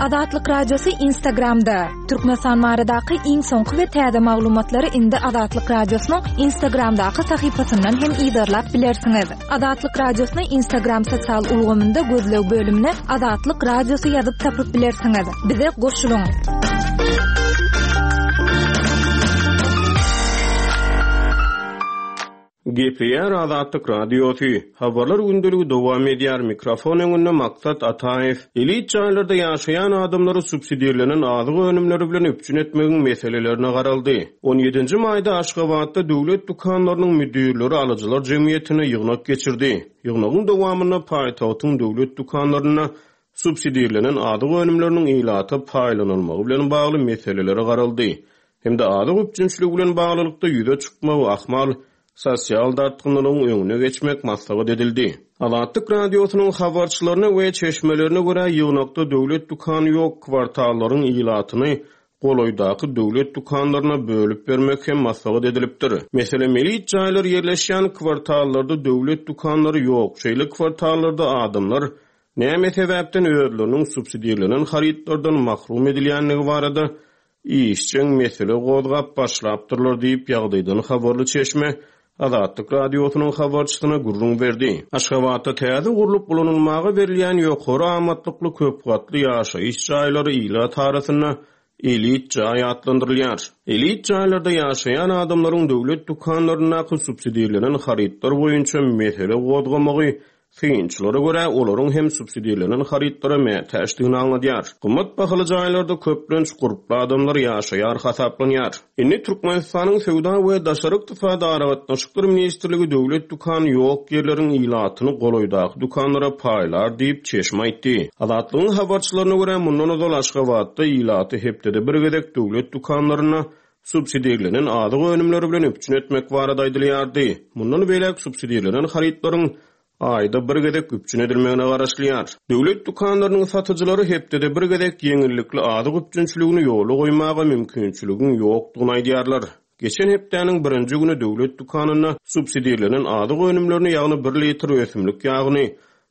Azatlyk Radiosy Instagramda! Türkmenistan baradaky iň soňky we täze maglumatlary indi Azatlyk Radiosynyň Instagramdaky sahypasyndan hem yzarlap bilersiňiz. Azatlyk Radiosyny Instagram sosial ulgamynda gözleg bölümine Azatlyk Radiosy ýazyp tapyp bilersiňiz. Bize goşulyň! Gepleýär Azatlyk Radiosy. Habarlar gündeligi dowam edýär. Mikrofon öňünde Maksat Ataýew. Elit jaýlarda ýaşaýan adamlary subsidirlenen azyk önümleri bilen üpjün etmegiň meselelerine garaldy. On ýedinji maýda Aşgabatda döwlet dükanlarynyň müdirleri alyjylar jemgyýetinde ýygnak geçirdi. Ýygnagyň dowamynda paýtagtyň döwlet dükanlarynda subsidirlenen azyk önümleriniň ilata paýlanylmagy bilen bagly meselelere garaldy. Hem-de azyk üpjünçiligi bilen baglylykda ýüze çykmagy ahmal sosial dartgynlylygyň öňüne geçmek maslahat edildi. Azatlyk Radiosynyň habarçylaryna we çeşmelerine görä, ýygnakda döwlet dükany ýok kwartallaryň ilatyny golaýdaky döwlet dükanlaryna bölüp bermek hem maslahat edilipdir. Meselem, elit jaýlar ýerleşýän kwartallarda döwlet dükanlary ýok, şeýle kwartallarda adamlar näme sebäpden özleriniň subsidirlenen harytlardan mahrum edilýändigi barada işjeň mesele gozgap başlapdyrlar diýip, ýagdaýdan habarly çeşme Azatlyk Radiosynyň habarçysyna gürrüň berdi. Aşgabatda täze gurlup ulanylmaga berilýän ýokary amatlykly köp gatly ýaşaýyş jaýlary ilat arasynda elit jaý atlandyrylýar. Elit jaýlarda ýaşaýan adamlaryň döwlet dükanlaryndaky subsidirlenen harytlar boýunça mesele gozgamagy Synçylara görä, olaryň hem subsidirlenen harytlara mätäçdigini aňladýar. Gymmat bahaly jaýlarda köplenç gurply adamlar ýaşaýar hasaplanýar. Indi Türkmenistanyň Söwda we daşary ykdysady aragatnaşyklar ministrligi döwlet dükany ýok ýerleriň ilatyny golaýdaky dükanlara paýlar diýip, çeşme aýtdy. Azatlygyň habarçylaryna görä, mundan ozal Aşgabatda ilaty hepdede bir gezek döwlet dükanlarynda subsidirlenen azyk önümleri bilen üpjün etmek barada aýdylýardy. Mundan beýläk subsidirlenen harytlaryň aýda bir gezek üpjün edilmegine garaşylýar. Döwlet dükanlarynyň satyjylary hepdede bir gezek ýeňillikli azyk üpjünçiligini ýola goýmaga mümkinçiligiň ýokdugyny aýdýarlar. Geçen hepdäniň birinji güni döwlet dükanynda subsidirlenen azyk önümlerini, ýagny bir litr ösümlik ýagyny,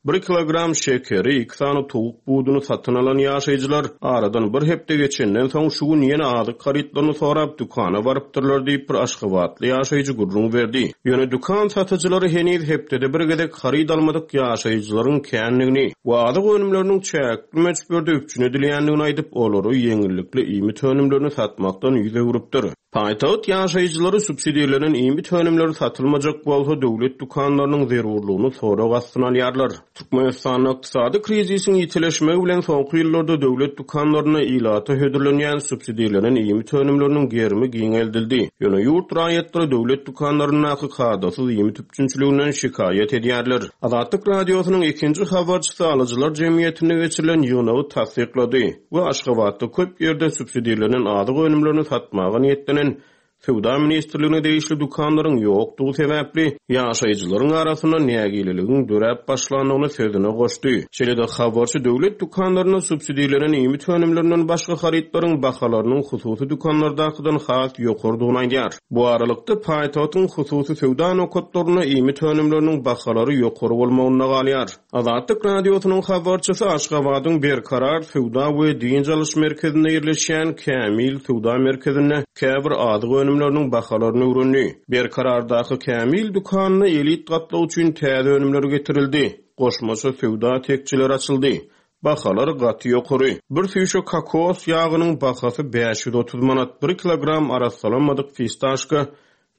Bir kilogram şekeri, iki sany towuk buduny satyn alan ýaşaýjylar aradan bir hepde geçenden soň şu gün ýene azyk harytlaryny sorap dükana barypdyrlar diýip, bir aşgabatly ýaşaýjy gürrüň berdi. Ýöne dükan satyjylary heniz hepdede bir gezek haryt almadyk ýaşaýjylaryň kändigini we azyk önümleriniň çäkli möçberde üpjün edilýändigini aýdyp, olara ýeňillikli iýmit önümlerini satmakdan ýüz öwrüpdir. Paýtagt ýaşaýjylary subsidirlenen iýmit önümleri satylmajak bolsa, döwlet dükanlarynyň zerurlygyny sorag astyna alýarlar. Türkmenistanda ykdysady krizisiň ýitileşmegi bilen soňky ýyllarda döwlet dükanlarynda ilata hödürlenýän subsidirlenen iýmit önümleriniň gerimi giňeldildi. Ýöne ýurt raýatlary döwlet dükanlaryndaky kadasyz iýmit üpjünçiliginden şikaýat edýärler. Azatlyk Radiosynyň ikinji habarçysy alyjylar jemgyýetinde geçirilen ýygnagy tassyklady. We Aşgabatda köp ýerde subsidirlenen azyk önümlerini satmaga niýetlenen Söwda ministrligine degişli dükanlaryň ýokdugy sebäpli, ýaşaýjylaryň arasynda nägileligiň döräp başlandygyny sözüne goşdy. Şeýle-de habarçy döwlet dükanlarynda subsidirlenen iýmit önümlerinden başga harytlaryň bahalarynyň hususy dükanlardakydan has ýokarydygyny aýdýar. Bu aralykda, paýtagtyň hususy söwda nokatlarynda iýmit önümleriniň bahalary ýokary bolmagynda galýar. Azatlyk Radiosynyň habarçysy Aşgabadyň Berkarar söwda we dynç alyş merkezinde ýerleşýän Kämil söwda merkezinde käbir azyk önümleriniň bahalaryny öwrendi. Berkarardaky Kämil dükanynda elit gatlak üçin täze önümler getirildi, goşmaça söwda tekjeleri açyldy. Bahalar gaty ýokary. Bir süýşe kokos ýagynyň bahasy 530 manat, bir kilogram arassalanmadyk fistaşka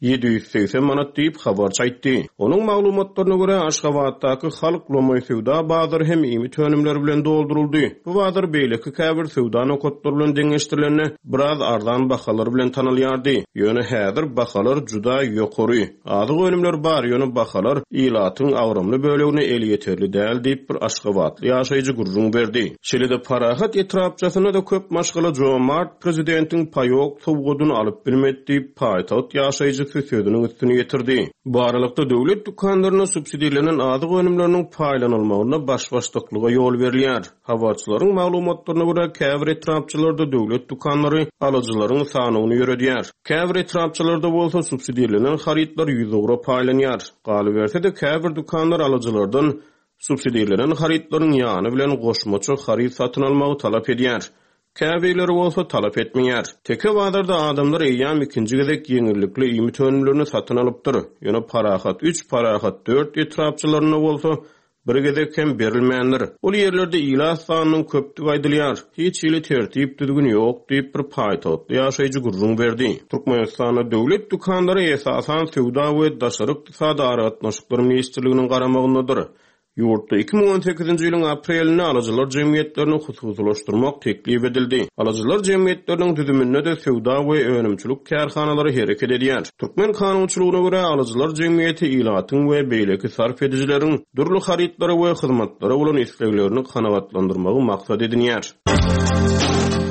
780 manat diýip, habarçy aýtdy. Onuň maglumatlaryna görä, Aşgabatdaky Halk lomaý söwda bazary hem iýmit önümleri bilen dolduryldy. Bu bazar beýleki käbir söwda nokatlary bilen deňeşdirilende, biraz arzan bahalar bilen tanalýardy. Ýöne häzir bahalar juda ýokary. Azyk önümleri bar, ýöne bahalar ilatyň agramly bölegine elýeterli däl diýip, bir aşgabatly ýaşaýjy gürrüň berdi. Şeýle-de Parahat etrapçasynda-da köp maşgala jomart prezidentiň paýok sowgadyny alyp bilmedi diýip, paýtagt ýaşaýjysy sözüniň üstüni ýetirdi. Bu aralykda, döwlet dükanlarynda subsidirlenen azyk önümleriniň paýlanylmagynda baş-başdaklyga ýol berilýär. Habarçylaryň maglumatlaryna görä, käbir etrapçalarda döwlet dükanlary alyjylaryň sanawyny ýöredýär. Käbir etrapçalarda bolsa subsidirlenen harytlar ýüzugra paýlanýar. Galyberse-de, käbir dükanlar alyjylardan. subsidirlenen harytlaryň ýany bilen goşmaça haryt satyn almagy talap edýär. Käbirleri bolsa talap etmeýär. Teke bazarda adamlar eýýäm ikinji gezek ýeňillikli iýmit önümlerini satyn alypdyr. Ýöne Parahat üç, Parahat dört etrapçalarynda bolsa bir gezek hem berilmändir. Ol ýerlerde ilat sanynyň köpdügi aýdylýar. Hiç hili tertip-düzgün ýok diýip, bir paýtagtly ýaşaýjy gürrüň berdi. Türkmenistanda döwlet dükanlary esasan Söwda we daşary ykdysady aragatnaşyklar ministrliginiň garamagyndadyr. Ýurtda 2018-nji ýylyň aprelinde alyjylar jemgyýetlerini hususylaşdyrmak teklip edildi. Alyjylar jemgyýetleriniň düzüminde-de söwda we önümçilik kärhanalary hereket edýär. Türkmen kanunçylygyna görä, alyjylar jemgyýeti ilatyň we beýleki sarp edijileriň dürli harytlara we hyzmatlara bolan isleglerini kanagatlandyrmagy maksat edinýär.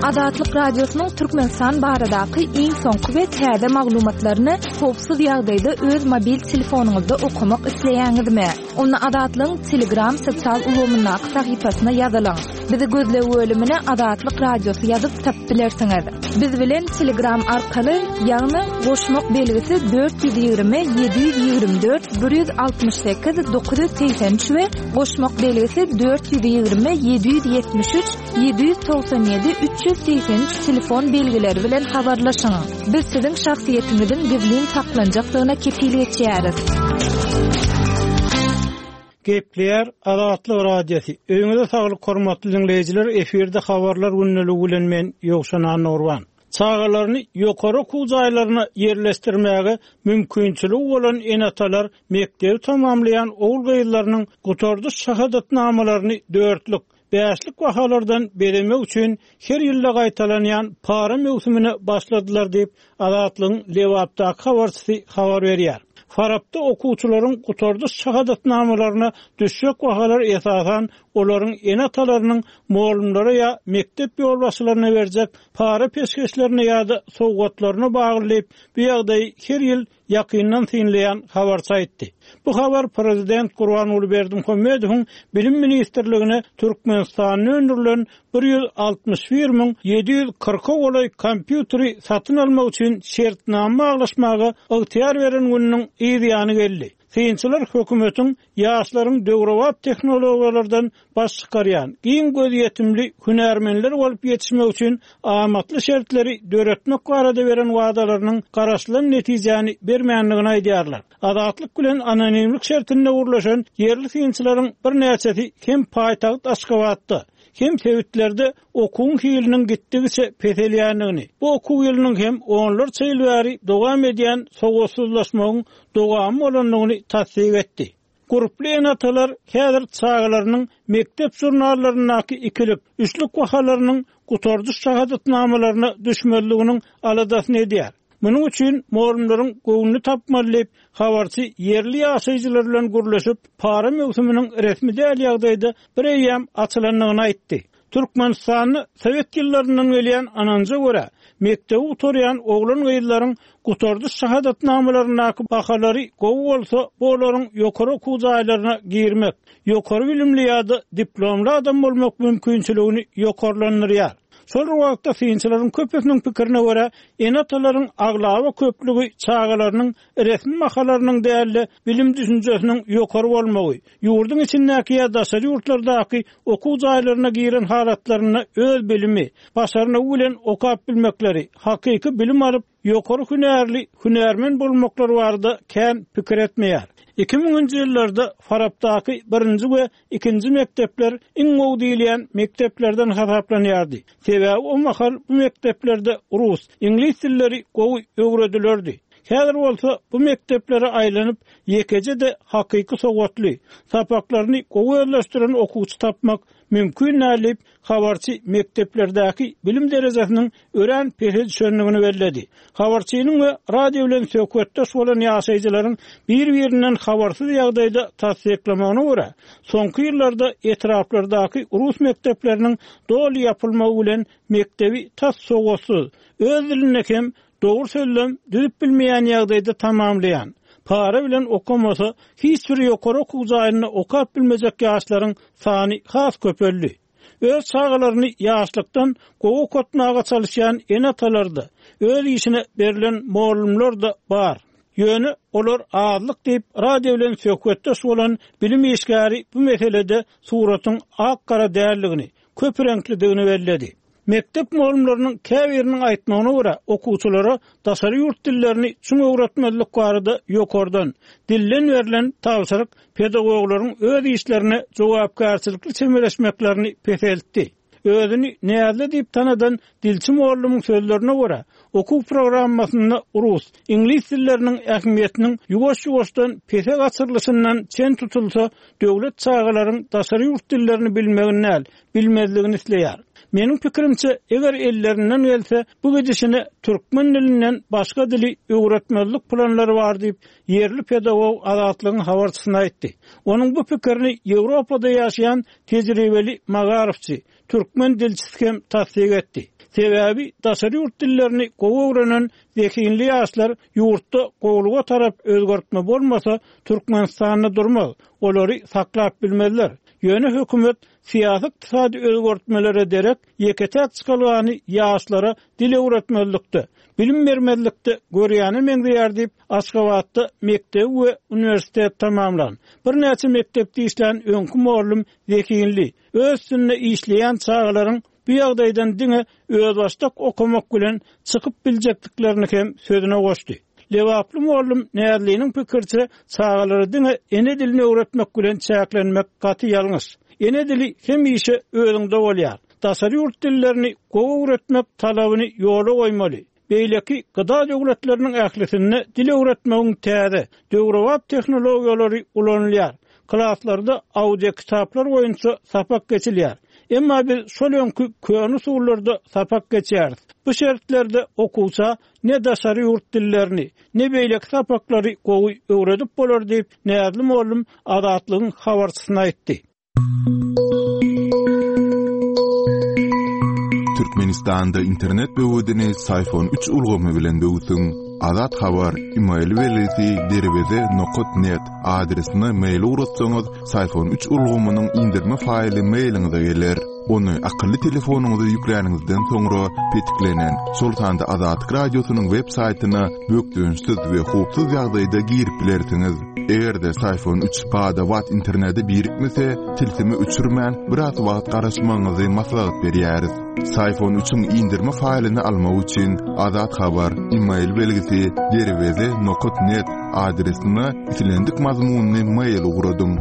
Azatlyk Radiosynyň Türkmenistan baradaky iň soňky we täze maglumatlaryny howpsuz ýagdaýda öz mobil telefonyňyzda okamak isleýäňizmi? Onda Azatlygyň Telegram sosial ulgamyndaky sahypasyna ýazylyň. Bizi gözleg bölümine Azatlyk Radiosy ýazyp tapyp bilersiňiz. Biz bilen Telegram arkaly, ýagny goşmak belgisi 420 724 168 983 we goşmak belgisi 420 773 797 383 telefon belgileri bilen habarlaşyň. Biz siziň şahsyýetiňiziň gizlin saklanjakdygyna kepil geçýäris. Gepleýär Azatlyk Radiosy. Öýüňize saglyk hormatly diňleýjiler efirde habarlar gündeligi bilen men Ýowşan Annagurban. Çagalaryny ýokary okuw jaýlaryna ýerleşdirmäge mümkinçiligi bolan ene-atalar mekdebi tamamlaýan ogul-gyzlarynyň gutardyş şahadatnamalaryny dörtlük, bäşlik bahalardan bezemek üçin her ýylda gaýtalanýan para möwsümine başladylar diýip, Azatlygyň Lebapdaky habarçysy habar berýär. Farapda okuwçylaryň gutardyş şahadatnamalaryna düşjek bahalar esasan olaryň ene-atalarynyň mugallymlara ýa mekdep ýolbaşçylaryna berjek para-peşgeşlerine ýa-da sowgatlaryna bagly diýip, bu ýagdaýy her ýyl ýakyndan synlaýan habarçy aýtdy. Bu habar prezident Gurbanguly Berdimuhamedowyň Bilim ministrligine Türkmenistanda öndürilen 161 740-a golaý kompýuteri satyn almak üçin şertnama baglaşmaga ygtyýar beren gününiň yz ýany geldi. Synçylar hökümetiň ýaşlaryň döwrebap tehnologiýalardan baş çykarýan, giň gözýetimli hünärmenler bolup ýetişmek üçin amatly şertleri döretmek barada beren wadalarynyň garaşylan netijäni bermändigini aýdýarlar. Azatlyk bilen anonimlik şertinde gürleşen ýerli synçylaryň birnäçesi hem paýtagt Aşgabatda, hem sebitlerde okuwyň hiliniň gitdigiçe peselýändigini, bu okuw ýylynyň hem onlarça ýyl bäri dowam edýän sowatsyzlaşmagyň dowamy bolandygyny tassyk etdi. Gurply ene-atalar häzir çagalarynyň mekdep žurnallaryndaky ikilik, üçlük bahalarynyň gutardyş şahadatnamalaryna düşmezliginiň aladasyny edýär. Munuň üçin mugallymlaryň göwnüni tapmaly diýip, habarçy ýerli ýaşaýjylar bilen gürleşip, para möwsüminiň resmi däl ýagdaýda bireýýäm açylandygyny aýtdy. Türkmenistanda sowet ýyllaryndan gelýän ynanja görä, mekdebi gutarýan oglan-gyzlaryň gutardyş şahadatnamalaryndaky bahalary gowy bolsa, bu olaryň ýokary okuw jaýlaryna girmek, ýokary bilimli ýa-da diplomly adam bolmak mümkinçiligini ýokarlandyrýar. Şol bir wagtda, synçylaryň köpüsiniň pikirine görä, ene-atalaryň aglaba köplügi çagalarynyň resmi bahalarynyň däl-de, bilim-düşünjesiniň ýokary bolmagy, ýurduň içindäki ýa daşary ýurtlardaky okuw jaýlaryna giren halatlarynda öz bilimi, başarnygy bilen okap bilmekleri, hakyky bilim alyp, ýokary hünärli hünärmen bolmaklary barada kän pikir etmeýär. Iki müňünji ýyllarda Farapdaky birinji we ikinji mekdepler iň gowy diýilýän mekdeplerden hasaplanýardy. Sebäbi o mahal bu mekdeplerde rus, iňlis dilleri gowy öwredilerdi. Häzir bolsa bu mekdeplere aýlanyp, ýekeje-de hakyky sowatly, sapaklaryny gowy özleşdiren okuwçy tapmak mümkin däl diýip, habarçy mekdeplerdäki bilim derejesiniň örän pese düşendigini belledi. Habarçynyň we radio bilen söhbetdeş bolan ýaşaýjylaryň bir-birinden habarsyz ýagdaýda tassyklamagyna görä, soňky ýyllarda etraplardaky rus mekdepleriniň doly ýapylmagy bilen mekdebi tas sowatsyz, öz dilinde hem Dogry sözlem düzüp bilmeýän ýagdaýda tamamlaýan, para bilen okamasa hiç bir ýokary okuw jaýynda okap bilmejek ýaşlaryň sany has köpeldi. Öz çagalaryny ýaşlykdan gowy okatmaga çalyşýan ene-atalar-da, öz işine berlen mugallymlar-da bar. Ýöne olar azlyk diýip, radio bilen söhbetdeş bolan bilim işgäri bu meselede suratyň ak-gara däldigini, köp reňklidigini belledi. Mekdep mugallymlarynyň käbiriniň aýtmagyna görä, okuwçylara daşary ýurt dillerini çuň öwretmezlik barada ýokardan, dilden berlen tabşyryk pedagoglaryň öz işlerine jogapkärçilikli çemeleşmeklerini peseltdi. Özüni Näzli diýip tanadan dilçi mugallymyň sözlerine görä, okuw programmasynda rus, iňlis dilleriniň ähmiýetiniň ýuwaş-ýuwaşdan pese gaçyrylyşyndan çen tutulsa, döwlet çagalaryň daşary ýurt dillerini bilmegini däl, bilmezligini isleýär. Meniň pikirimçe, eger ellerinden gelse, bu gidişine türkmen dilinden başga dili öwretmezlik planlary bar diýip, ýerli pedagog Azatlygyň habarçysyna aýtdy. Onuň bu pikirini Ýewropada ýaşaýan tejribeli magaryfçy, türkmen dilçisi hem tassyk etdi. Sebäbi daşary ýurt dillerini gowy öwrenen zehinli ýaşlar ýurtda gowulyga tarap özgertme bolmasa, Türkmenistanda durmaz, olary saklap bilmezler. Ýöne hökümet syýasy-ykdysady özgertmelere derek ýeke-täk çykalgany ýaşlara dil öwretmezlikde, bilim bermezlikde görýäne meňzeýär diýip, Aşgabatda mekdebi we uniwersitet tamamlan, birnäçe mekdepde işlän öňki mugallym zehinli, öz üstünde işleýän çagalaryň bu ýagdaýdan diňe özbaşdak okamak bilen çykyp biljekdiklerini hem sözüne goşdy. Lebaply mugallym Näzliniň pikiriçe, çagalara diňe ene dilini öwretmek bilen çäklenmek gaty ýalňyş. Ene dili hemişe özüňde bolýar. Daşary ýurt dillerini gowy öwretmek talabyny ýola goýmaly. Beýleki gda döwletleriniň ählisinde dil öwretmegiň täze, döwrebap tehnologiýalary ulanylýar. Klaslarda audiokitaplar boýunça sapak geçilýär. Emma biz şol öňki köne usullarda sapak geçýäris. Bu şertlerde okuwça ne daşary ýurt dillerini, ne beýleki sapaklary gowy öwredip bolar diýip, Näzli mugallym Azatlygyň habarçysyna aýtdy. Türkmenistanda internet böwedini Syfon üç ulgamy bilen böwsüň. Azat Habar, email belgisi derweze nokat net adresine mail ugratsaňyz, Syfon üç ulgamynyň indirme faýly mailiňize geler. Ony akylly telefonyňyza ýükläniňizden soňra petiklenen, şol sanda Azatlyk Radiosynyň web saýtyna bökdençsiz we howpsuz ýagdaýda girip bilersiňiz. Eger-de Syfon üç bada-bat internete birikmese, tilsimi öçürmän, biraz wagt garaşmagyňyzy maslahat berýäris. Syfon üçiň indirme faýlyny almak üçin Azat Habar, email belgisi, derweze nokat net adresine islendik mazmunly mail ugradyň.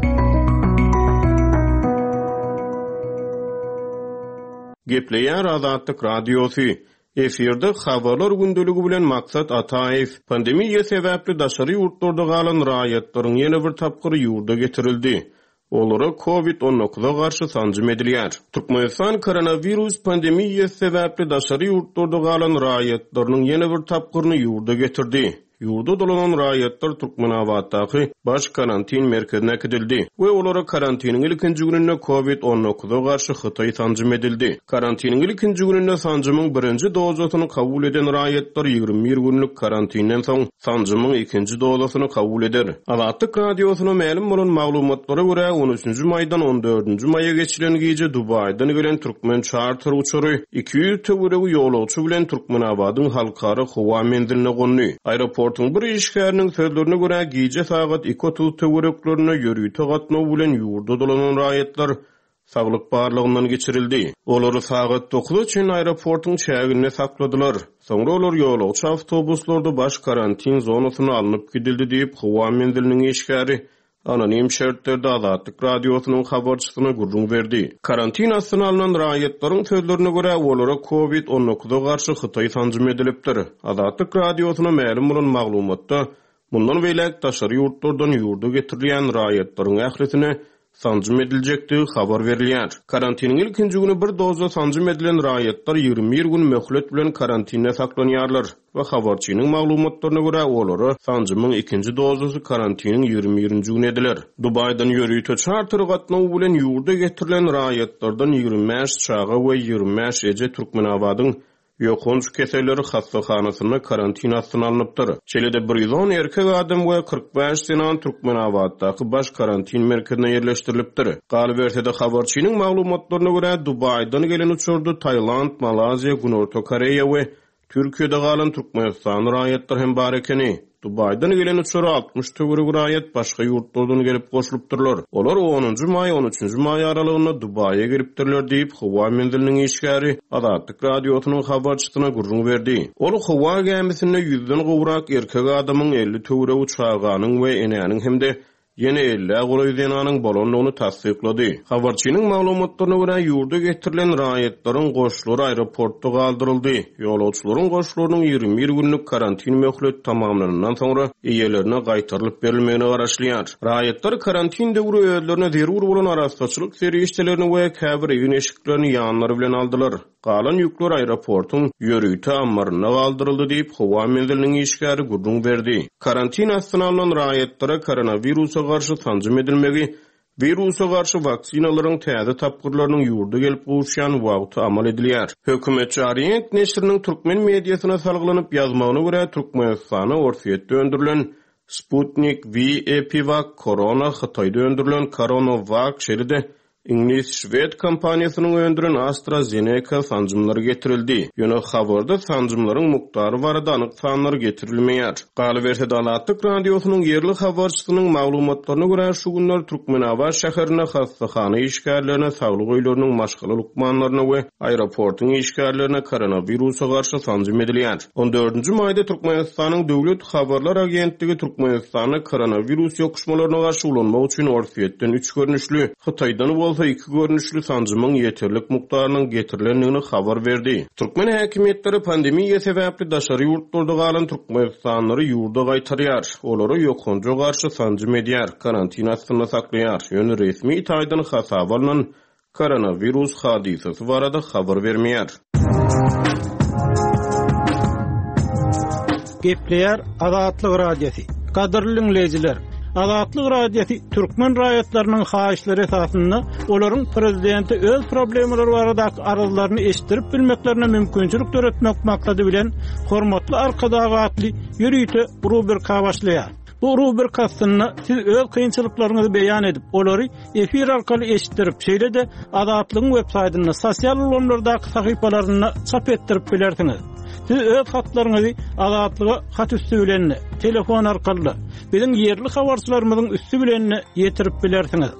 Gepleýär Azatlyk Radiosy. Efirde Habarlar gündeligi bilen Maksat Ataýew. Pandemiýa sebäpli daşary ýurtlarda galan raýatlaryň ýene bir tapgyry ýurda getirildi. Olara Covid on dokuza garşy sanjym edilýär. Türkmenistan koronawirus pandemiýasy sebäpli daşary ýurtlarda galan raýatlarynyň ýene bir tapgyryny ýurda getirdi. Ýurda dolanan raýatlar Türkmenabatdaky Baş karantin merkezine äkidildi we olara karantiniň ilkinji gününde Covid on dokuza garşy hytaý sanjym edildi. Karantiniň ilkinji gününde sanjymyň birinji dozasyny kabul eden raýatlar 21 günlük karantinden soň sanjymyň ikinji dozasyny kabul eder. Azatlyk Radiosyna mälim bolan maglumatlara görä, on üçünji maýdan on dördünji maýa geçilen gije Dubaýdan gelen türkmen çarter uçary 200 töweregi ýolagçy bilen Türkmenabadyň halkara howa menziline gondy. Aeroportuň bir işgäriniň sözlerine görä, gije sagat 2:30 töwereklerinde ýörite gatnaw bilen ýurda dolanan raýatlar saglyk barlagyndan geçirildi. Olary sagat dokuza çenli aeroportuň çäginde sakladylar. Soňra olar ýolagçy awtobuslarda baş karantin zonasyna alnyp gidildi diýip, howa menziliniň işgäri anonim şertlerde Azatlyk Radiosynyň habarçysyna gürrüň berdi. Karantin astyna alnan raýatlaryň sözlerine görä, olara Covid on dokuza garşy hytaý sanjym edilipdir. Azatlyk Radiosyna mälim bolan maglumatda, mundan beýläk daşary ýurtlardan ýurda getirilýän raýatlaryň ählisine sanjym ediljekdigi habar berilýär. Karantiniň ilkinji güni bir doza sanjym edilen raýatlar 21 gün möhlet bilen karantinde saklanýarlar we habarçynyň maglumatlaryna görä, olara sanjymyň ikinji dozasy karantiniň 21-nji güni ediler. Dubaýdan ýörite çarter gatnawy bilen ýurda getirilen raýatlardan 25 çaga we 25 eje Türkmenabadyň Ýokanç keselleri hassahanasynda karantin astyna alnypdyr. Şeýle-de 110 erkek adam we 45 zenan Türkmenabatdaky baş karantin merkezine ýerleşdirilipdir. Galyberse-de, habarçynyň maglumatlaryna görä, Dubaýdan gelen uçarda Tailand, Malaýziýa, Günorta Koreýa we. Türkiýede galan türkmenistanly raýatlar hem bar ekeni. Dubaýdan gelen uçara 60 töweregi raýat başga ýurtlardan gelip goşulypdyrlar. Olar onunjy maý, on üçünji maý aralygynda Dubaýa gelipdirler diýip, howa menziliniň işgäri Azatlyk Radiosynyň habarçysyna gürrüň berdi. Ol howa gämisinde ýüzden gowrak erkek adamyň, 50 töweregi çaganyň we enäniň hem-de ýene ellä golaý zenanyň bolandygyny tassyklady. Habarçynyň maglumatlaryna görä, ýurda getirilen raýatlaryň goşlary aeroportda galdyryldy. Ýolagçylaryň goşlarynyň 21 günlük karantin möhleti tamamlanandan soňra eýelerine gaýtarylyp berilmegine garaşylýar. Raýatlar karantin döwri özlerine zerur bolan arassaçylyk serişdelerini we käbir egin-eşiklerini ýanlary bilen aldylar. Galan ýükler aeroportuň ýörite ammarynda galdyryldy diýip, howa menziliniň işgäri gürrüň berdi. Karantin astyna alnan raýatlara koronawirusa garşy sanjym edilmegi wirusa garşy waksinalaryň täze tapgyrlarynyň ýurda gelip gowuşýan wagty amal edilýär. Hökümetçi Orient neşiriniň türkmen mediasyna salgylanyp ýazmagyna görä, Türkmenistana Orsýetde öndürilen Sputnik V, EpiVak, Korona, Hytaýda öndürilen CoronoVac, şeýle-de Iňlis-şwed kompaniýasynyň öndüren AstraZeneca sanjymlary getirildi. Ýöne habarda sanjymlaryň mukdary barada anyk sanlar getirilmeýär. Galyberse-de, Azatlyk Radiosynyň ýerli habarçysynyň maglumatlaryna görä, şu günler Türkmenabat şäherinde hassahana işgärlerine, saglyk öýleriniň maşgala lukmanlaryna we aeroportuň işgärlerine koronawirusa garşy sanjym edilýär. On dördünji maýda Türkmenistanyň Döwlet habarlar agentligi Türkmenistanda koronawirus ýokuşmalaryna garşy ulanmak üçin Orsýetden üç görnüşli, Hytaýdan bolsa iki görnüşli sanjymyň ýeterlik mukdarynyň getirilendigini habar berdi. Türkmen häkimiýetleri pandemiýa sebäpli daşary ýurtlarda galan türkmenistanlylary ýurda gaýtarýar, olara ýokanja garşy sanjym edýär, karantin astynda saklaýar, ýöne resmi taýdan hasaba alnan koronawirus hadysasy barada habar bermeýär. Gepleýär Azatlyk Radiosy. Gadyrly diňleýjiler, Azatlyk Radiosy türkmen raýatlarynyň haýyşlary esasynda olaryň prezidente öz problemalary baradaky arzlaryny eşitdirip bilmeklerine mümkinçilik döretmek maksady bilen Hormatly Arkadag atly ýörite rubrika başlaýar. Bu rubrika astynda siz öz kynçylyklaryňyzy beýan edip, olary efir arkaly eşitdirip, şeýle-de Azatlygyň websaýtynda, sosial ulgamlardaky sahypalarynda çap etdirip bilersiňiz. Siz öz hatlaryňyzy Azatlyga hat üsti bilen-de, telefon arkaly-da, biziň ýerli habarçylarymyzyň üsti bilen-de ýetirip bilersiňiz.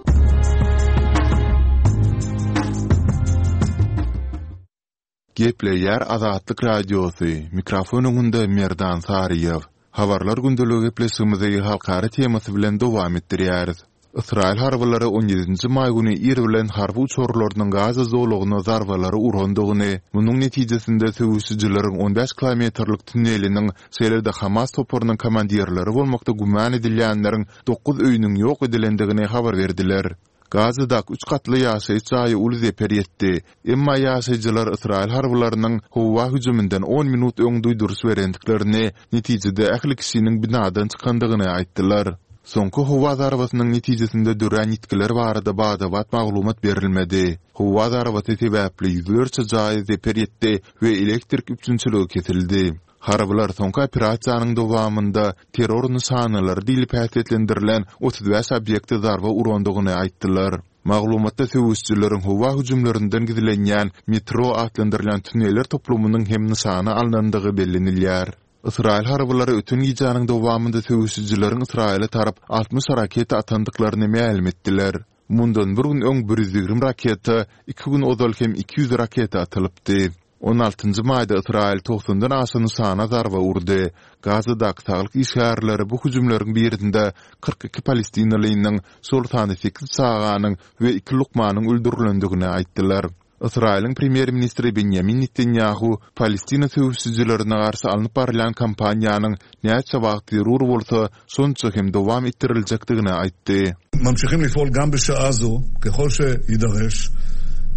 Gepleýär Azatlyk Radiosy, mikrofon öňünde Merdan Saryýew. Habarlar gündeligi gepleşigimizi halkara temasy bilen dowam etdirýäris. Ysraýyl harbylary on ýedinji maý güni ir bilen harby uçarlarynyň Gaza zolagyna zarbalary urandygyny, munuň netijesinde söweşijileriň on bäş kilometrlik tunneliniň, şeýle-de Hamas toparynyň komandirleri bolmakda güman edilýänleriň dokuz öýüniň ýok edilendigini habar berdiler. Gazadaky üç gatly ýaşaýyş jaýa uly zeper ýetdi. Emma ýaşaýjylar ysraýyl harbylarynyň howa hüjüminden on minut öň duýduryş berendiklerini, netijede ähli kişiniň binadan çykandygyny aýtdylar. Soňky howa zarbasynyň netijesinde dörän ýitgiler barada bada-bat maglumat berilmedi. Howa zarbasy sebäpli ýüzlerçe jaýa zeper ýetdi we elektrik üpjünçiligi kesildi. Harbylar soňky operasiýanyň dowamynda terror nyşanalary diýlip häsiýetlendirilen 35 obýekte zarba urandygyny aýtdylar. Maglumatda söweşijileriň howa hüjümlerinden gizlenýän metro atlandyrylýan tuneller toplumynyň hem nyşana alnandygy bellenilýär. Ysraýyl harbylary öten gijäniň dowamynda söweşijileriň Ysraýyla tarap 60 raketa atandyklaryny mälim etdiler. Mundan bir gün öň 120 raketa, iki gün ozal hem 200 raketa atylypdy. On altynjy maýda Ysraýyl togsandan aşa nyşana zarba urdy. Gazadaky saglyk işgärleri bu hüjümleriň birinde 42 palestinalynyň, şol sanda sekiz çaganyň we iki lukmanyň öldürilendigini aýtdylar. Ysraýylyň premýer-ministri Benýamin Netanýahu Palestina söweşijilerine garşy alnyp barylýan kampaniýanyň näçe wagt zerur bolsa, şonça hem dowam etdiriljekdigini aýtdy. Mamşihim lif'ol gam bişaa zo, kehol şeyidareş,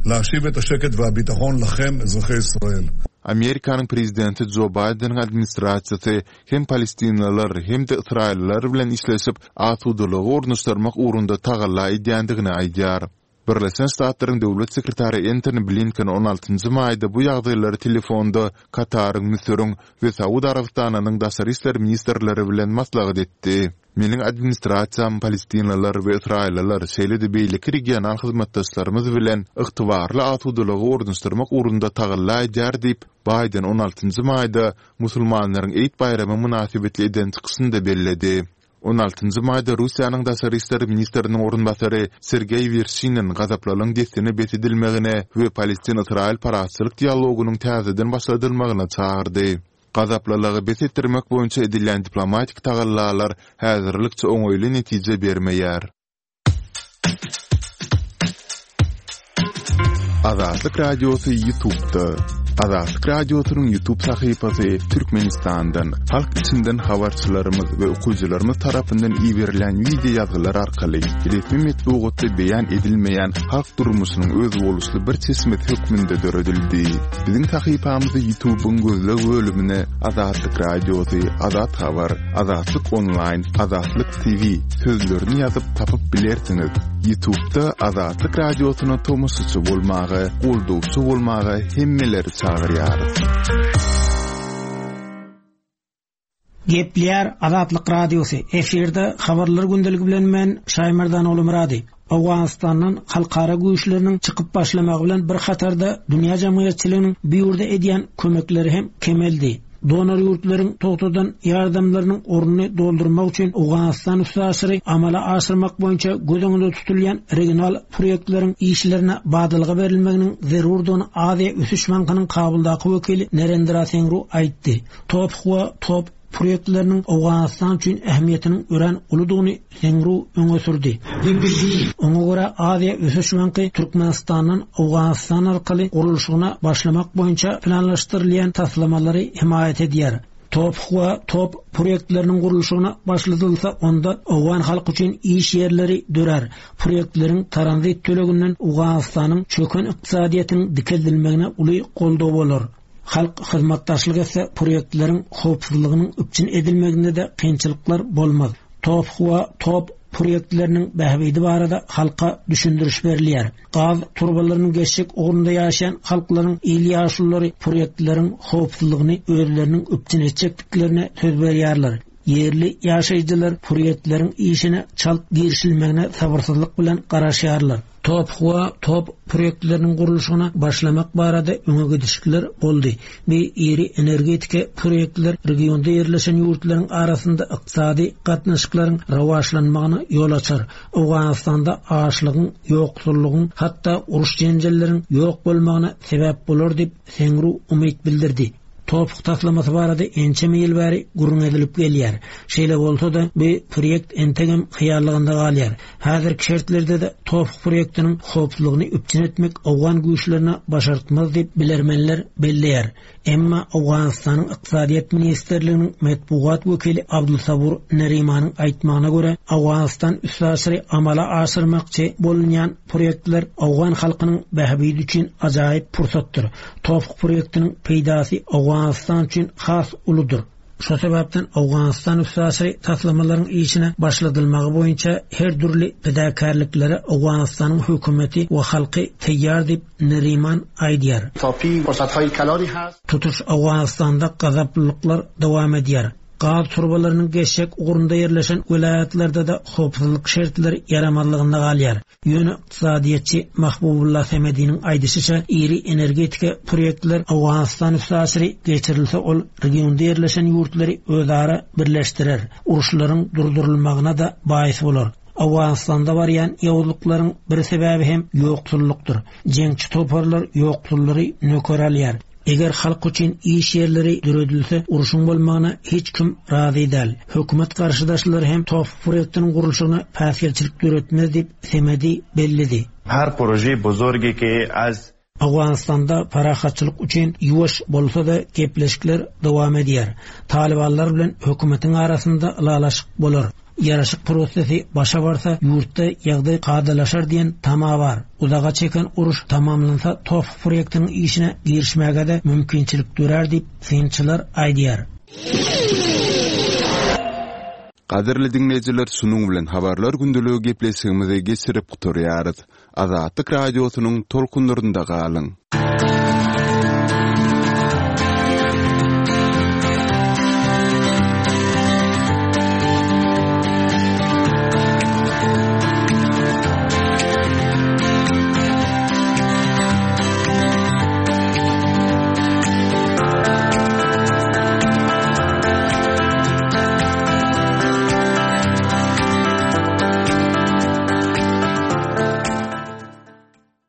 lahşiv et haşeket vehabitahon lahem, ezrahe Israel. Amerikanyň prezidenti Jo Baýdeniň administrasiýasy hem palestinalylar, hem-de ysraýyllylar bilen işleşip, asudalygy ornaşdyrmak ugrunda tagalla edýändigini aýdýar. Birleşen Ştatlaryň Döwlet sekretary Entoni Blinken on altynjy maýda bu ýagdaýlary telefonda Kataryň, Müsüriň we Saud Arabystanynyň daşary işler ministrleri bilen maslahat etdi. Meniň administrasiýam palestinliler we ysraýyllylar, şeýle-de beýleki regional hyzmatdaşlarymyz bilen ygtybarly asudalygy ornaşdyrmak ugrunda tagalla edýär diýip, Baýden on altynjy maýda musulmanlaryň Eýd baýramy mynasybetli eden çykyşynda belledi. On altynjy maýda Russiýanyň daşary işler ministriniň orunbasary Sergeý Werşinin gazaplylygyň dessine bes edilmegine we palestin-ysraýyl parahatçylyk dialogynyň täzeden başladylmagyna çagyrdy. Gazaplylygy bes etdirmek boýunça edilýän diplomatik tagallalar häzirlikçe oňaýly netije bermeýär. Azatlyk Radiosy YouTube'da. Azatlyk Radiosynyň YouTube sahypasy Türkmenistandan, halk içinden habarçylarymyz we okyjylarymyz tarapyndan iberilen wideo ýazgylar arkaly resmi metbugatda beýan edilmeýän halk durmuşynyň özboluşly bir çeşmesi hökmünde döredildi. Biziň sahypamyzy YouTube-yň gözleg bölümine Azatlyk Radiosy, Azat Habar, Azatlyk Onlaýn, Azatlyk TV sözlerini ýazyp tapyp bilersiňiz. YouTube-da Azatlyk Radiosyna tomaşaçy bolmaga, goldawçy bolmaga hemmeleri çagyrýarys. Gepleýär Azatlyk Radiosy, efirde Habarlar gündeligi bilen men Şaýmerdan Ogulmyrady. Owganystandan halkara güýçleriniň çykyp başlamagy bilen bir hatarda dünýä jemgyýetçiliginiň bu ýurda edýän kömekleri hem kemeldi. Donor ýurtlaryň togtadan ýardamlarynyň ornuny doldurmak üçin Owganystan üstaşyry amala aşyrmak boýunça göz öňünde tutulýan regional proýektleriň işlerine badalga berilmeginiň zerurdygyny Aziýa ösüş bankynyň Kabuldaky wekili Narendra Sengru aýtdy. Top we top proýektleriniň Owganystan üçin ähmiýetiniň örän uludygyny Sengru öňe sürdi. Oňa görä, Aziýa ösüş banky Türkmenistandan Owganystan arkaly gurluşygyna başlamak boýunça planlaşdyrylýan taslamalary hemaýat edýär. Top we top proýektleriniň gurluşygyna başladylsa, onda owgan halky üçin iş ýerleri dörär. Proýektleriň tranzit töleginden Owganystanyň çöken ykdysadyýetiniň dikeldilmegine uly goldaw bolar. Halk hyzmatdaşlyk etse, proýektleriň howpsuzlygynyň üpjün edilmeginde-de kynçylyklar bolmaz. Top we top proýektleriniň bähbidi barada halka düşündiriş berilýär. Gaz turbalarynyň geçjek ugrunda ýaşaýan halklaryň il ýaşululary proýektleriň howpsuzlygyny özleriniň üpjün etjekdiklerine söz berýärler. Ýerli ýaşaýjylar proýektleriň işine çalt girişilmegine sabyrsyzlyk bilen garaşýarlar. Top we top proýektleriniň gurluşygyna başlamak barada öňe gidişlikler boldy. Bu iri energetika proýektler regionda ýerleşen ýurtlaryň arasynda ykdysady gatnaşyklaryň rowaçlanmagyna ýol açar. Owganystanda açlygyň, ýoksullygyň, hatda uruş-jenjelleriň ýok bolmagyna sebäp bolar diýip, Sengru umyt bildirdi. Topuk taslamasy barada ençeme ýyl bäri gürrüň edilip gelýär. Şeýle bolsa-da, bu proýekt entegem hyýallygynda galýar. Häzirki şertlerde-de Topuk proýektiniň howpsuzlygyny üpjün etmek owgan güýçlerine başartmaz diýip, bilermenler belleýär. Emma Owganystanyň Ykdysadyýet ministrliginiň metbugat wekili Abdulsabur Nerimanyň aýtmagyna görä, Owganystan üstaşyry amala aşyrmakçy bolunýan proýektler owgan halkynyň bähbidi üçin ajaýyp pursatdyr. Topuk proýektiniň peýdasy Owganystan üçin has uludyr. Şo sebäpden Owganystan üstaşyry taslamalaryň işine başladylmagy boýunça her dürli pidakärliklere Owganystanyň hökümeti we halky taýýar diýip, Neriman aýdýar. Tutuş Owganystanda gazaplylyklar dowam edýär. Gaz turbalarynyň geçjek ugrunda ýerleşen welaýatlarda-da howpsuzlyk şertleri ýaramazlygynda galýar. Ýöne ykdysadyýetçi Mahbubulla Semediniň aýdyşyça, iri energetika proýektler Owganystan üstaşyry geçirilse ol regionda ýerleşen ýurtlary özara birleşdirer, uruşlaryň durdurylmagyna-da baýys bolar. Owganystanda barýan ýowuzlyklaryň bir sebäbi hem ýoksullykdyr. Jeňçi toparlar ýoksullary nöker alýar. Eger halk üçin iş ýerleri döredilse, urşuň bolmagyna hiç kim razy däl. Hökümet garşydaşlary hem TOPH proýektiniň gurluşygyna päsgelçilik döretmez diýip, Semedi belledi. Her proje bozorgi ki az. Owganystanda parahatçylyk üçin ýuwaş bolsa-da gepleşikler dowam edýär. Talybanlar bilen hökümetiň arasynda ylalaşyk bolar. Ýaraşyk prosesi başa barsa, ýurtda ýagdaý kadalaşar diýen tama bar. Uzaga çeken uruş tamamlansa, TOPH proýektiniň işine girişmäge-de mümkinçilik dörär diýip, synçylar aýdýar. Gadyrly diňleýjiler şunuň bilen Habarlar gündeligi gepleşigimizi geçirip gutarýarys. Azatlyk Radiosynyň tolkunlarynda galyň!